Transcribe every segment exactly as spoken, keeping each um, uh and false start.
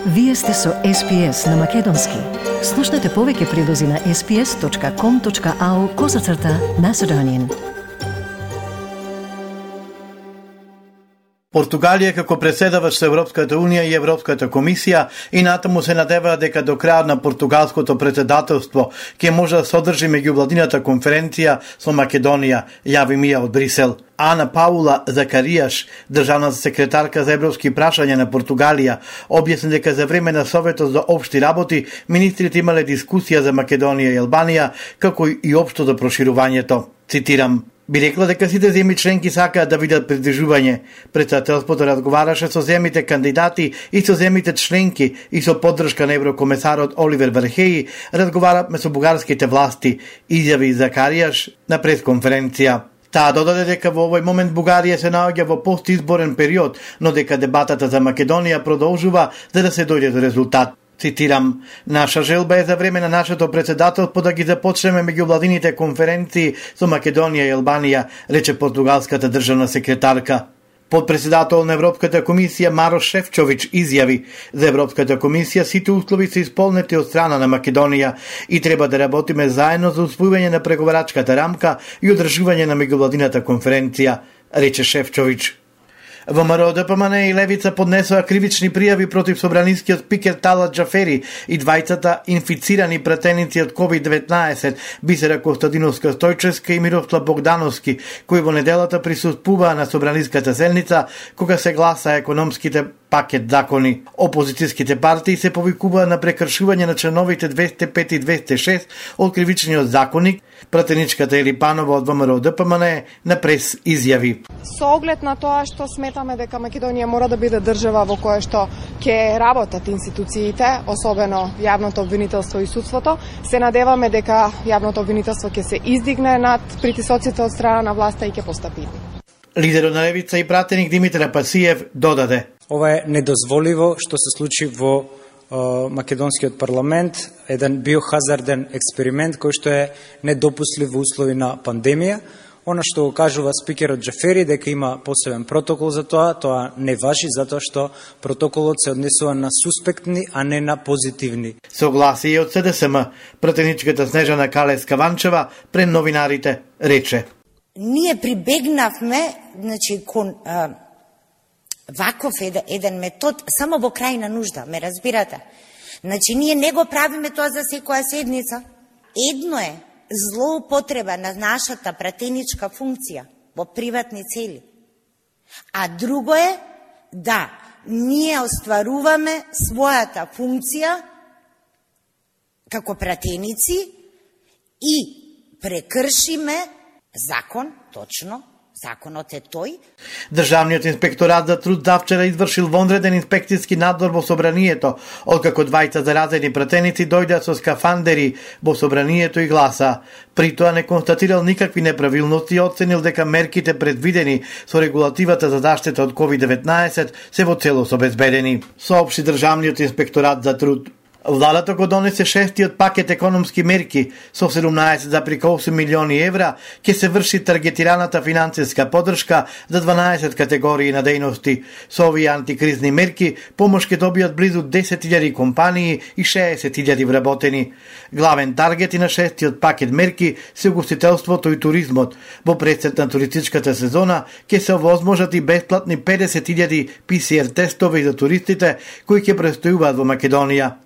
Вие сте со Ес Пи Ес на Македонски. Слушнете повеќе прилози на ес пи ес точка ком точка ау козацрта Macedonian. Португалија како преседавач со Европската Унија и Европската комисија и натаму се надеваа дека до крајот на португалското председателство ќе може да содржи меѓувладината конференција со Македонија, јави Мија од Брисел. Ана Паула Закаријаш, државната секретарка за европски прашања на Португалија, објасни дека за време на Советот за општи работи министрите имале дискусија за Македонија и Албанија, како и општо за проширувањето. Цитирам: би рекла дека сите земји членки сакаат да видат придружување. Председателството разговараше со земјите кандидати и со земјите членки и со поддршка на еврокомесарот Оливер Вархеи разговараме со бугарските власти, изјави Закаријаш на пресконференција. Таа додаде дека во овој момент Бугарија се наоѓа во постизборен период, но дека дебатата за Македонија продолжува за да се дојде до резултат. Цитирам: наша желба е за време на нашето председателство да ги започнеме меѓувладините конференции со Македонија и Албанија, рече португалската државна секретарка. Подпредседател на Европската комисија Марош Шефчович изјави: за Европската комисија сите услови се исполнети од страна на Македонија и треба да работиме заедно за усвојување на преговарачката рамка и одржување на меѓувладината конференција, рече Шефчович. ВМРО Д П М Н и Левица поднесоа кривични пријави против собранискиот спикер Талат Џафери и двајцата инфицирани пратеници од ковид деветнаесет, Бисера Костадиновска Стојчевска и Мирослав Богдановски, кои во неделата присуствуваа на собраниската седница кога се гласа економските пакет закони. Опозицијските партии се повикуваа на прекршување на членовите двесте пет и двесте шест од кривичниот законник. Пратеничката Ели Панова од ВМРО Д П М Н на прес изјави: со оглед на тоа што сметаме дека Македонија мора да биде држава во која што ќе работат институциите, особено јавното обвинителство и судството, се надеваме дека јавното обвинителство ќе се издигне над притисоците од страна на власта и ќе постапи. Лидерот на Левица и пратеник Димитар Пасиев додаде: ова е недозволиво што се случи во македонскиот парламент, еден биохазарден експеримент кој што е недопуслив во услови на пандемија. Она што го кажува спикерот Џафери дека има посебен протокол за тоа, тоа не важи затоа што протоколот се однесува на суспектни, а не на позитивни. Согласие од С Д С М. Пратеничката Снежана Калеска-Ванчева пред новинарите рече: ние прибегнавме, значи, кон а, ваков еден, еден метод само во крајна нужда, ме разбирате? Значи, ние не го правиме тоа за секоја седница. Едно е злоупотреба на нашата пратеничка функција во приватни цели. А друго е да ние остваруваме својата функција како пратеници и прекршиме закон, точно, законот е тој. Државниот инспекторат за труд завчера извршил вонреден инспекцијски надзор во собранието, откако двајца заразени пратеници дојдеа со скафандери во собранието и гласа. При тоа не констатирал никакви неправилности и оценил дека мерките предвидени со регулативата за заштита од ковид деветнаесет се во целост обезбедени, соопшти Државниот инспекторат за труд. Владата го донесе шестиот пакет економски мерки со седумнаесет зарез осум милиони евра, ќе се врши таргетираната финансиска поддршка за дванаесет категории на дејности. Со овие антикризни мерки помош ќе добијат близу десет илјади компании и шеесет илјади вработени. Главен таргет и на шестиот пакет мерки се угостителството и туризмот. Во пресет на туристичката сезона ќе се овозможат и бесплатни педесет илјади П С Р тестови за туристите кои ќе престојуваат во Македонија.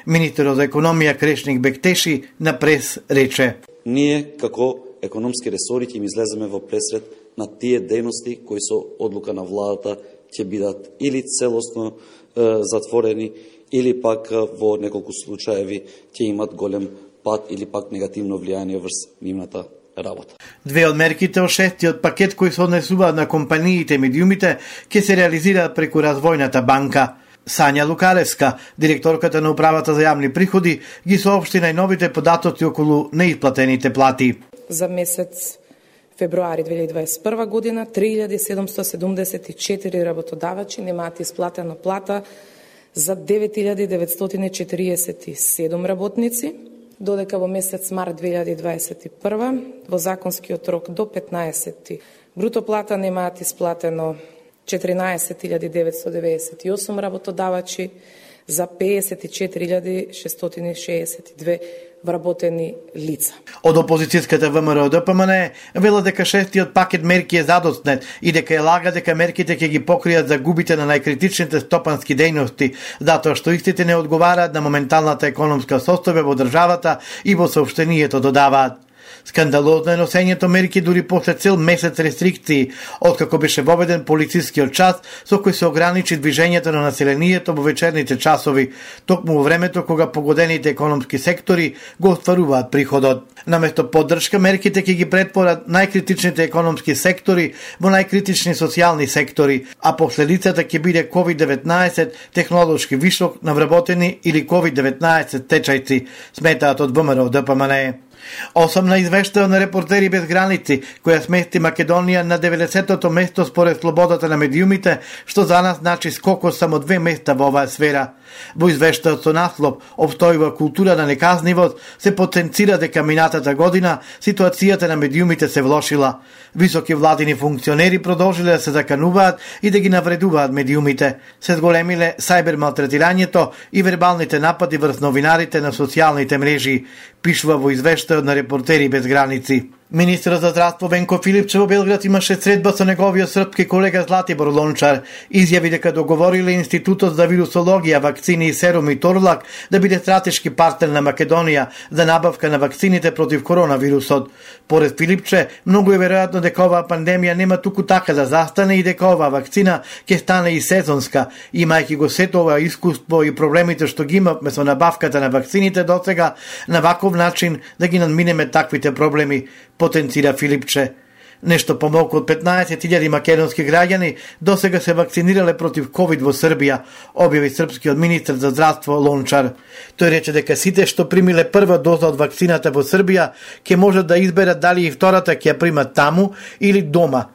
Министерот за економија Крешник Бектеши на прес рече: ние како економски ресори ќе им излеземе во пресред на тие дејности кои со одлука на владата ќе бидат или целосно е, затворени или пак во неколку случаеви ќе имат голем пат или пак негативно влијание врз нивната работа. Две од мерките од шестиот пакет кои се однесуваат на компаниите и медиумите ќе се реализираат преку Развојната банка. Сања Лукаревска, директорката на Управата за јавни приходи, ги соопшти најновите податоци околу неисплатените плати. За месец февруари две илјади дваесет и прва година три илјади седумстотини седумдесет и четири работодавачи немаат исплатена плата за девет илјади деветстотини четириесет и седум работници, додека во месец март две илјади дваесет и прва во законскиот рок до петнаесети бруто плата немаат исплатено четиринаесет илјади деветстотини деведесет и осум работодавачи, за песет и четири илјади шестстотини шеесет и две вработени лица. Од опозицијската ВМРО Д П М Н вела дека шестиот пакет мерки е задоснет и дека е лага дека мерките ќе ги покријат загубите на најкритичните стопански дејности, затоа што истите не одговараат на моменталната економска состојба во државата и во соопштението додаваат. Скандалозно е носењето мерки дури после цел месец рестрикции, откако беше воведен полицискиот час со кој се ограничи движењето на населението во вечерните часови, токму во времето кога погодените економски сектори го остваруваат приходот. Наместо поддршка, мерките ќе ги претворат најкритичните економски сектори во најкритични социјални сектори, а последицата ќе биде ковид деветнаесет, технолошки вишок на вработени или ковид деветнаесет течајци, сметаат од ВМРО Д П М Н. Осамна извештаја на Репортери без граници, која смести Македонија на деветдесетото место според слободата на медиумите, што за нас значи скок од само две места во оваа сфера. Во извештајот со наслов "Обстојува култура на неказнивост" се потенцира дека минатата година ситуацијата на медиумите се влошила. Високи владини функционери продолжиле да се закануваат и да ги навредуваат медиумите. Се зголемиле сајбер малтретирањето и вербалните напади врз новинарите на социјалните мрежи, пишува во извештајот на Репортери без граници. Министерот за здравство Венко Филипче во Белград имаше средба со неговиот српски колега Златибор Лончар. Изјави дека договориле Институтот за вирусологија, вакцини и серуми Торлак да биде стратешки партнер на Македонија за набавка на вакцините против коронавирусот. Поред Филипче, многу е веројатно дека оваа пандемија нема туку така да застане и дека оваа вакцина ќе стане и сезонска, имајќи го сето ова искуство и проблемите што ги имавме со набавката на вакцините досега, на ваков начин да ги надминеме таквите проблеми, потенцира Филипче. Нешто помалку од петнаесет илјади македонски граѓани досега се вакцинирале против ковид во Србија, објави српскиот министер за здравство Лончар. Тој рече дека сите што примиле прва доза од вакцината во Србија ќе можат да изберат дали и втората ќе ја примат таму или дома.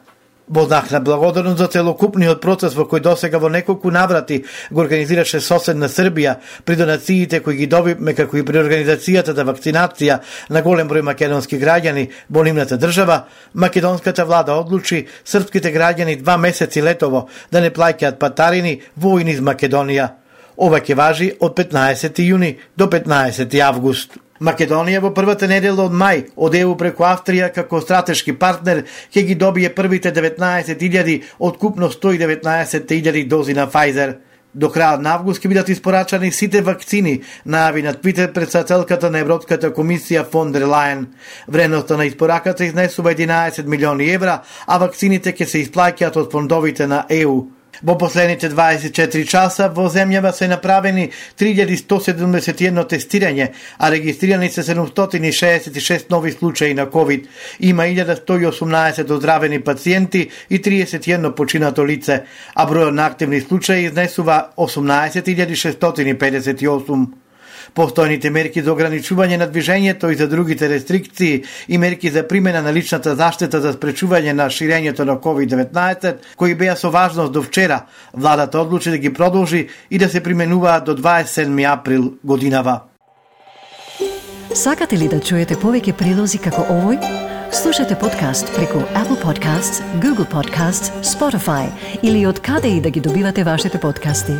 Во знак на благодарност за целокупниот процес во кој досега во неколку наврати го организираше соседна Србија, при донациите кои ги добивме како и при организацијата за вакцинација на голем број македонски граѓани во нивната држава, македонската влада одлучи српските граѓани два месеци летово да не плаќаат патарини во и низ Македонија. Ова ќе важи од петнаесети јуни до петнаесети август. Македонија во првата недела од мај од Е У преку Австрија како стратешки партнер ќе ги добие првите деветнаесет илјади од купно сто и деветнаесет илјади дози на Pfizer. До крајот на август ќе бидат испорачани сите вакцини, најави на Твитер председателката на Европската комисија фон дер Лајен. Вредноста на испораката изнесува единаесет милиони евра, а вакцините ќе се исплаќаат од фондовите на Е У. Во последните дваесет и четири часа во земјава се направени три илјади сто седумдесет и едно тестирање, а регистрирани се седумстотини шеесет и шест нови случаи на ковид. Има илјада сто и осумнаесет оздравени пациенти и триесет и едно починато лице, а бројот на активни случаи изнесува осумнаесет илјади шестстотини педесет и осум. Постојните мерки за ограничување на движењето и за другите рестрикции и мерки за примена на личната заштита за спречување на ширењето на ковид деветнаесет, кои беа со важност до вчера, владата одлучи да ги продолжи и да се применуваат до дваесет и седми април годинава. Сакате ли да чуете повеќе прилози како овој? Слушате подкаст преку Apple Podcasts, Google Podcasts, Spotify или од каде и да ги добивате вашите подкасти.